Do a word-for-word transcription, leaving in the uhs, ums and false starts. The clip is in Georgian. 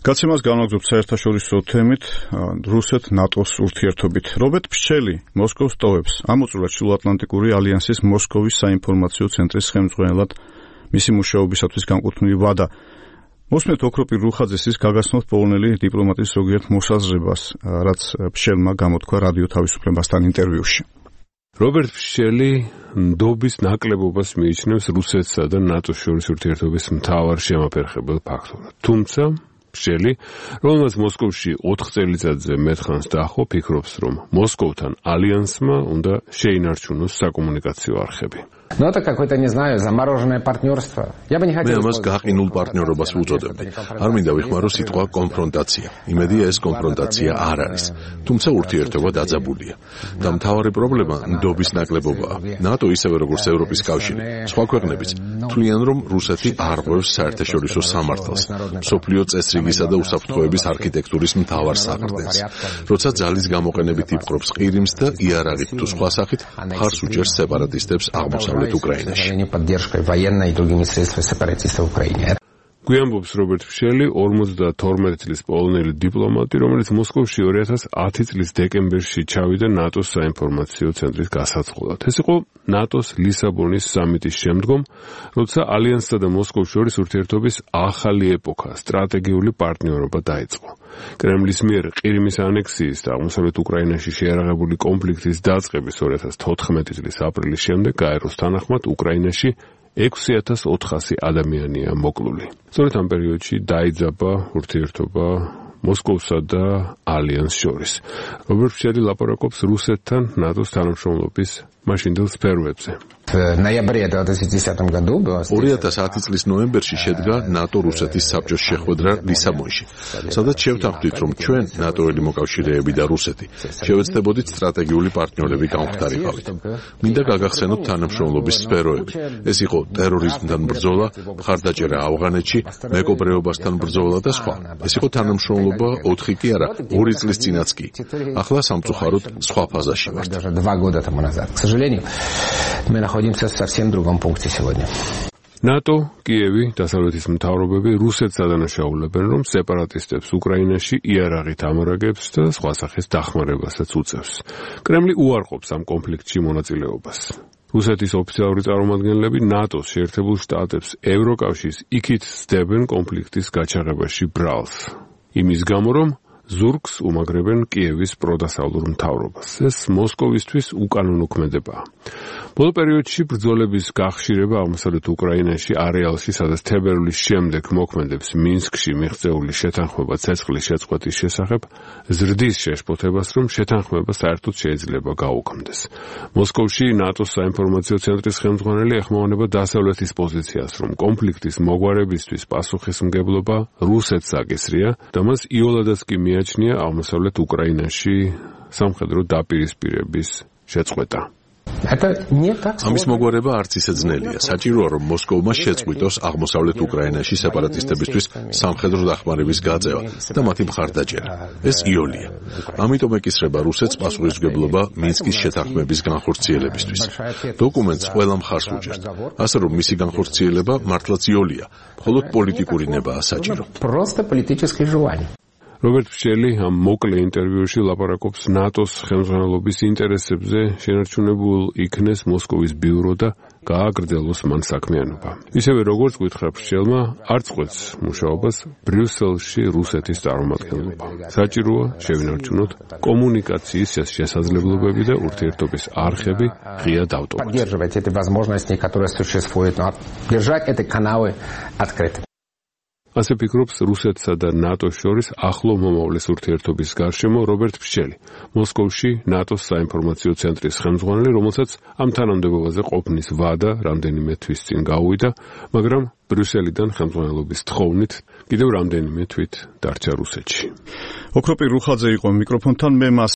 გაცემას განვაგრძობთ საერთაშორისო თემით რუსეთ-ნატოს ურთიერთობით. რობერტ ფშელი მოსკოვს ტოვებს. ამოწურა ჩრდილოატლანტიკური ალიანსის მოსკოვის საინფორმაციო ცენტრის ხელმძღვანელად მისი მუშაობისათვის განკუთვნილი ვადა. მოსმენთ ოქროპირ რუხაძეს გაგაცნოთ პოლონელი დიპლომატის ზოგიერთ მოსაზრებას, რაც ფშელმა გამოთქვა რადიო თავისუფლებასთან ინტერვიუში. რობერტ ფშელი ნდობის ნაკლებობას მიიჩნევს რუსეთსა და ნატოს შორის ურთიერთობის მთავარ შემაფერხებელ ფაქტორად. თუმცა ფშელი, რომელმაც მოსკოვში ოთხ წელიწადზე მეტხანს დაახო, ფიქრობს, რომ მოსკოვთან ალიანსმა უნდა შეინარჩუნოს საკომუნიკაციო არხები. Ну, это какое-то, не знаю, замороженное партнерство. Я бы не хотел... მე ამას გაყინულ პარტნიორობას ვუწოდებდი. არ მინდა ვიხმარო სიტყვა კონფრონტაცია. იმედია ეს კონფრონტაცია არ არის. თუმცა ურთიერთობა დაძაბულია. და მთავარი პრობლემა ნდობის ნაკლებობაა. ნატო ისევე როგორც ევროპის კავშირი, სხვა ქვეყნებიც თვლიან, რომ რუსეთი არ ღვევს საერთაშორისო სამართალს, მსოფლიო წესრიგისა და უსაფრთხოების არქიტექტურის მთავარ საყრდენს. როცა ძალის გამოყენებით იპყრობს ყირიმს და იარაღით თუ სხვა სახით, მხარს უჭერს სეპარატისტებს აღმოსავლეთ поддержкой военной и другими средствами сепаратистов в Украине. გვიანბობს რობერტ ფშელი, ორმოცდათორმეტი წლის პოლონელი დიპლომატი, რომელიც მოსკოვში ორი ათას ათი წლის დეკემბერში ჩავიდა ნატოს საინფორმაციო ცენტრის გასაწყობად. ეს იყო ნატოს ლისაბონის სამიტის შემდგომ, როცა ალიანსსა და მოსკოვს შორის ურთიერთობის ახალი ეპოქა, სტრატეგიული პარტნიორობა დაიწყო. კრემლის მიერ ყირიმის ანექსიის და აღმოსავლეთ უკრაინაში შეიარაღებული კონფლიქტის დაწყების ორი ათას თოთხმეტი წლის აპრილის შემდეგ გაეროს თანახმად უკრაინაში ექვსი ათას ოთხასი ადამიანია მოკლული. სწორედ ამ პერიოდში დაიძაბა ურთიერთობა მოსკოვსა და ალიანსს შორის. რობერტ ფშელი ლაპარაკობს რუსეთთან ნატოს თანამშრომლობის მაშინდელ სფეროებზე. ორი ათას ათი წლის ნოემბერში შედგა ნატო-რუსეთის საბჭოს შეხვედრა ლისაბონში, სადაც შევთანხმდით, რომ ჩვენ ნატოელი მოკავშირეები და რუსეთი შევეცდებოდით სტრატეგიული პარტნიორები გამختარიყავით. მინდა გაგახსენოთ თანამშრომლობის სფეროები. ეს იყო ტერორიზმთან ბრძოლა, მხარდაჭერა ავღანეთში, მეკობრეობასთან ბრძოლა და სხვა. ეს იყო თანამშრომლობა ოთხი კი არა, ორი წლის წინაც კი. ახლა სამწუხაროდ სხვა ფაზაში ვართ. К сожалению, мы находимся в совсем другом пункте сегодня. ნატო, კიევი, დასავლეთის მთავრობები რუსეთს ადანაშაულებენ, რომ სეპარატისტებს უკრაინაში იარაღით ამარაგებს და სხვა სახის დახმარებასაც უწევს. კრემლი უარყოფს ამ კონფლიქტში მონაწილეობას. რუსეთის ოფიციალური წარმომადგენლები ნატოს შეერთებულ შტატებს, ევროკავშირს იქით სდებენ კონფლიქტის გაჩაღებაში ბრალს. იმის გამო, რომ ზურგს უმაგრებენ კიევის პროდასავლურ მთავრობას. ეს მოსკოვისთვის უკანონო ქმედებაა. ბოლო პერიოდში ბრძოლების გახშირება აღმოსავლეთ უკრაინაში არეალში, სადაც თებერვლის შემდეგ მოქმედებს მინსკში მიღწეული შეთანხმება ცეცხლის შეწყვეტის შესახებ, ზრდის შეშფოთებას, რომ შეთანხმება საერთოდ შეიძლება გაუქმდეს. მოსკოვში ნატოს საინფორმაციო ცენტრის ხელმძღვანელი ეხმაურება დასავლეთის პოზიციას, რომ კონფლიქტის მოგვარებისთვის პასუხისმგებლობა რუსეთს აკისრია და მას იოლადაც კი მიაჩნია აღმოსავლეთ უკრაინაში სამხედრო დაპირისპირების შეწყვეტა. ამის მოგვარება არც ისე ძნელია. საჭიროა, რომ მოსკოვმა შეწყვიტოს აღმოსავლეთ უკრაინაში სეპარატისტებისთვის სამხედრო დახმარების გაწევა და მათი მხარდაჭერა. ეს იოლია. ამიტომ ეკისრება რუსეთს პასუხისმგებლობა მინსკის შეთანხმების განხორციელებისთვის. დოკუმენტს ყველა მხარს უჭერს. ასე რომ მისი განხორციელება მართლაც იოლია, მხოლოდ პოლიტიკური ნებაა საჭირო. რობერტ ფშელი ამ მოკლე ინტერვიუში ლაპარაკობს ნატოს ხელმძღვანელობის ინტერესებზე, შენარჩუნებულ იქნეს მოსკოვის ბიურო და გააგრძელოს მან საქმიანობა. ისევე როგორც გითხრა ფშელმა, არ წყვეტს მუშაობას ბრიუსელში რუსეთის წარმომადგენლობა. საჭიროა შევინარჩუნოთ კომუნიკაციის შესაძლებლობები და ურთიერთობის არხები ღიად ავტომატიზovat. ასე ფიქრობს რუსეთსა და ნატოს შორის ახლო მომავლის ურთიერთობის გარშემო რობერტ ფშელი, მოსკოვში ნატოს საინფორმაციო ცენტრის ხელმძღვანელი, რომელსაც ამ თანამდებობაზე ყოფნის ვადა რამდენიმე თვის წინ გაუვიდა, მაგრამ ბრიუსელიდან ხელმძღვანელობის თხოვნით კიდევ რამდენიმე თვით დარჩა რუსეთში. ოქროპირ რუხაძე იყო მიკროფონთან, მე მას